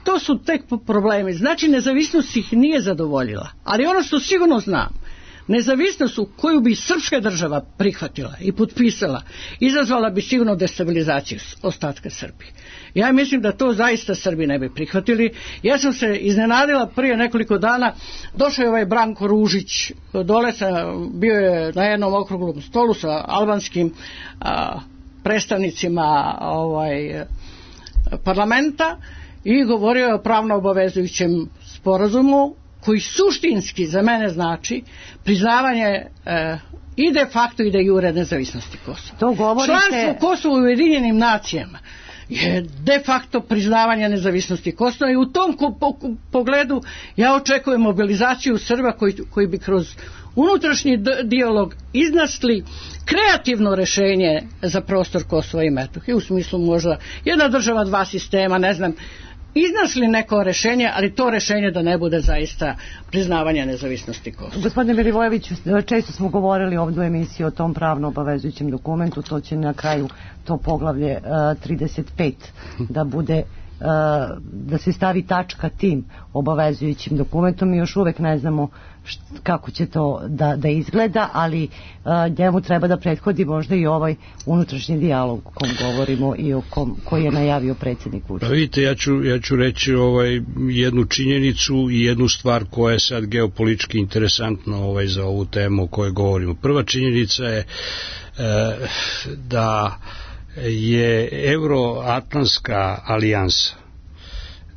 To su tek problemi. Znači nezavisnost ih nije zadovoljila, ali ono što sigurno znam, nezavisnost koju bi srpska država prihvatila i potpisala, izazvala bi sigurno destabilizaciju ostatka Srbije. Ja mislim da to zaista Srbi ne bi prihvatili. Ja sam se iznenadila prije nekoliko dana, došao je ovaj Branko Ružić dole, bio je na jednom okruglom stolu sa albanskim predstavnicima parlamenta i govorio je o pravno obavezujućem sporazumu koji suštinski za mene znači priznavanje i de facto i de jure nezavisnosti Kosova. Članstvo Kosova u Ujedinjenim nacijama je de facto priznavanje nezavisnosti Kosova i u tom pogledu ja očekujem mobilizaciju Srba koji bi kroz unutrašnji dijalog iznašli kreativno rešenje za prostor Kosova i Metohije, u smislu možda jedna država, dva sistema, ne znam, iznašli neko rešenje, ali to rešenje da ne bude zaista priznavanje nezavisnosti Kosova. Gospodine Milivojeviću, često smo govorili ovdje u emisiji o tom pravno obavezujućem dokumentu, to će na kraju to poglavlje 35 da bude, da se stavi tačka tim obavezujućim dokumentom. Mi još uvek ne znamo kako će to da izgleda, ali njemu treba da prethodi možda i ovaj unutrašnji dijalog o kom govorimo i o koji je najavio predsjednik Vučić. Pa vidite, ja ću reći jednu činjenicu i jednu stvar koja je sad geopolitički interesantna za ovu temu o kojoj govorimo. Prva činjenica je da je Euroatlantska alijansa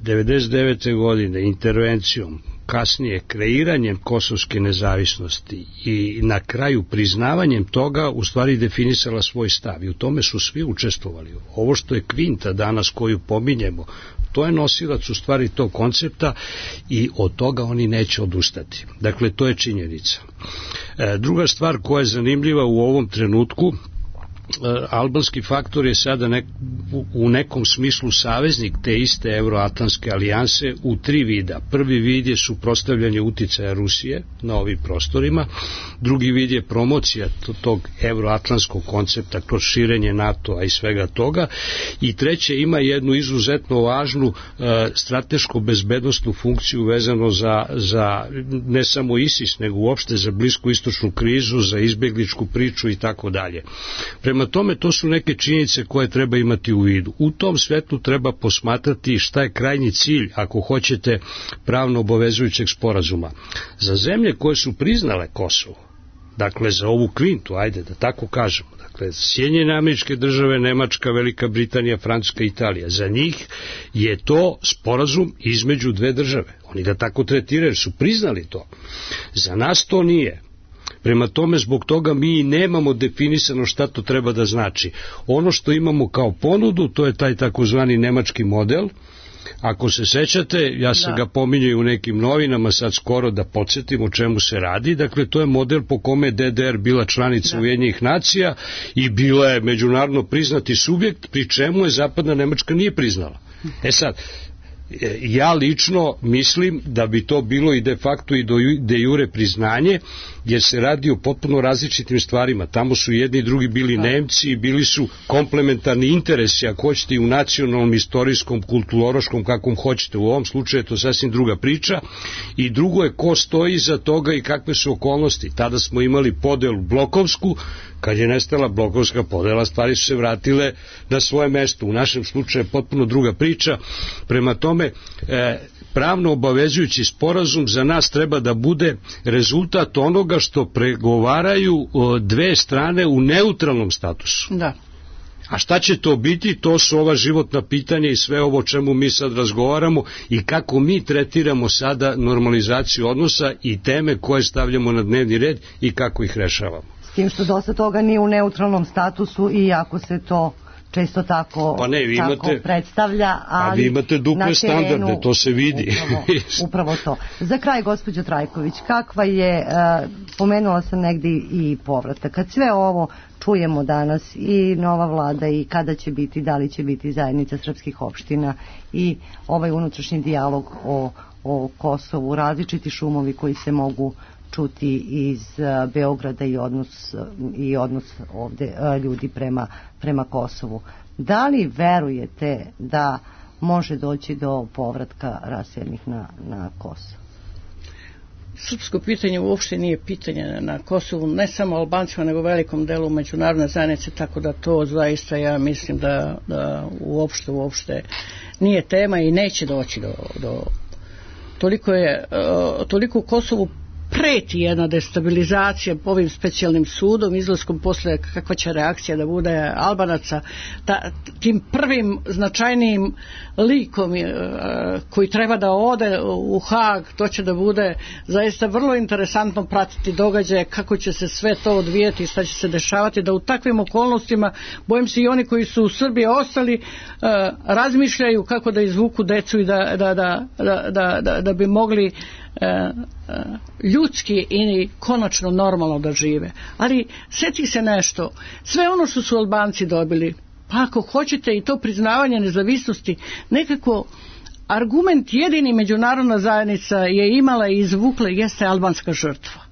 99. godine intervencijom, kasnije kreiranjem kosovske nezavisnosti i na kraju priznavanjem toga u stvari definisala svoj stav i u tome su svi učestvovali. Ovo što je kvinta danas koju pominjemo, to je nosilac u stvari tog koncepta i od toga oni neće odustati. Dakle, to je činjenica. Druga stvar koja je zanimljiva u ovom trenutku, albanski faktor je sada u nekom smislu saveznik te iste Euroatlantske alijanse u 3 vida. Prvi vid je suprotstavljanje uticaja Rusije na ovim prostorima, drugi vid je promocija tog euroatlantskog koncepta kroz širenje NATO-a i svega toga, i treće ima jednu izuzetno važnu strateško bezbednosnu funkciju vezano za ne samo ISIS, nego uopšte za blisku istočnu krizu, za izbjegličku priču i tako dalje. Prema tome, to su neke činjenice koje treba imati u vidu. U tom svetlu treba posmatrati šta je krajnji cilj, ako hoćete, pravno obavezujućeg sporazuma. Za zemlje koje su priznale Kosovo, dakle za ovu kvintu, ajde da tako kažemo, dakle Sjedinjene Američke Države, Nemačka, Velika Britanija, Francuska, Italija, za njih je to sporazum između 2 države. Oni ga tako tretiraju, su priznali to. Za nas to nije. Prema tome, zbog toga mi nemamo definisano šta to treba da znači. Ono što imamo kao ponudu, to je taj takozvani nemački model. Ako se sećate, ja sam ga pominjao u nekim novinama sad skoro da podsjetim o čemu se radi. Dakle, to je model po kome je DDR bila članica Ujedinjenih nacija i bila je međunarodno priznati subjekt, pri čemu je Zapadna Nemačka nije priznala. Sad, ja lično mislim da bi to bilo i de facto i de jure priznanje, jer se radi o potpuno različitim stvarima. Tamo su jedni i drugi bili Nemci, bili su komplementarni interesi, ako hoćete, i u nacionalnom, istorijskom, kulturološkom, kakvom hoćete. U ovom slučaju je to sasvim druga priča. I drugo je ko stoji iza toga i kakve su okolnosti. Tada smo imali podelu blokovsku, kad je nestala blokovska podela, stvari su se vratile na svoje mesto. U našem slučaju je potpuno druga priča. Prema tome, pravno obavezujući sporazum za nas treba da bude rezultat onoga što pregovaraju 2 strane u neutralnom statusu. Da. A šta će to biti? To su ova životna pitanja i sve ovo o čemu mi sad razgovaramo i kako mi tretiramo sada normalizaciju odnosa i teme koje stavljamo na dnevni red i kako ih rešavamo. S tim što dosta toga nije u neutralnom statusu i ako se to često tako, tako predstavlja, ali vi imate duple standarde, to se vidi. Upravo to. Za kraj, gospođo Trajković, kakva je, pomenula sam negdje i povratak, kad sve ovo čujemo danas i nova vlada i kada će biti, da li će biti zajednica srpskih opština i ovaj unutrašnji dijalog o Kosovu, različiti šumovi koji se mogu čuti iz Beograda i odnos ovde ljudi prema Kosovu. Da li verujete da može doći do povratka raseljenih na Kosovo? Srpsko pitanje uopšte nije pitanje na Kosovu, ne samo Albancima, nego velikom delu međunarodne zajednice, tako da to zaista ja mislim da uopšte nije tema i neće doći do toliko u Kosovu preti jedna destabilizacija ovim specijalnim sudom, izlaskom posle kakva će reakcija da bude Albanaca, tim prvim značajnijim likom koji treba da ode u Hag, to će da bude zaista vrlo interesantno pratiti događaje, kako će se sve to odvijeti, šta će se dešavati, da u takvim okolnostima, bojim se i oni koji su u Srbiji ostali, razmišljaju kako da izvuku decu i da bi mogli ljudski i konačno normalno da žive. Ali sjeti se nešto, sve ono što su Albanci dobili, pa ako hoćete i to priznavanje nezavisnosti, nekako argument jedini međunarodna zajednica je imala i izvukla jeste albanska žrtva.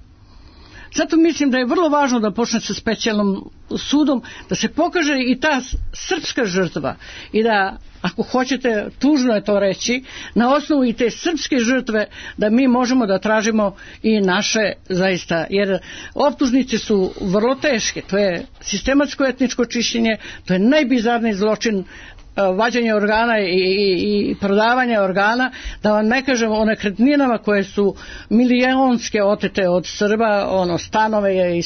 Zato mislim da je vrlo važno da počne sa specijalnom sudom, da se pokaže i ta srpska žrtva i da, ako hoćete, tužno je to reći, na osnovu i te srpske žrtve da mi možemo da tražimo i naše zaista, jer optužnice su vrlo teške, to je sistematsko etničko čišćenje, to je najbizarniji zločin, vađenje organa i prodavanje organa, da vam ne kažem o nekretninama koje su milijonske otete od Srba, stanove je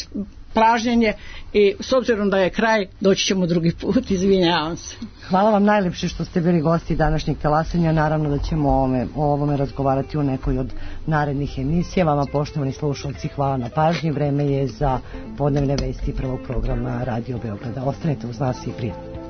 pražnjenje, i s obzirom da je kraj, doći ćemo drugi put, izvinjavam se. Hvala vam najlepše što ste bili gosti današnjeg talasanja. Naravno da ćemo o ovome razgovarati u nekoj od narednih emisija. Vama, poštovani slušalci, hvala na pažnji. Vreme je za podnevne vesti prvog programa Radio Beograda. Ostanite uz nas i prijatno.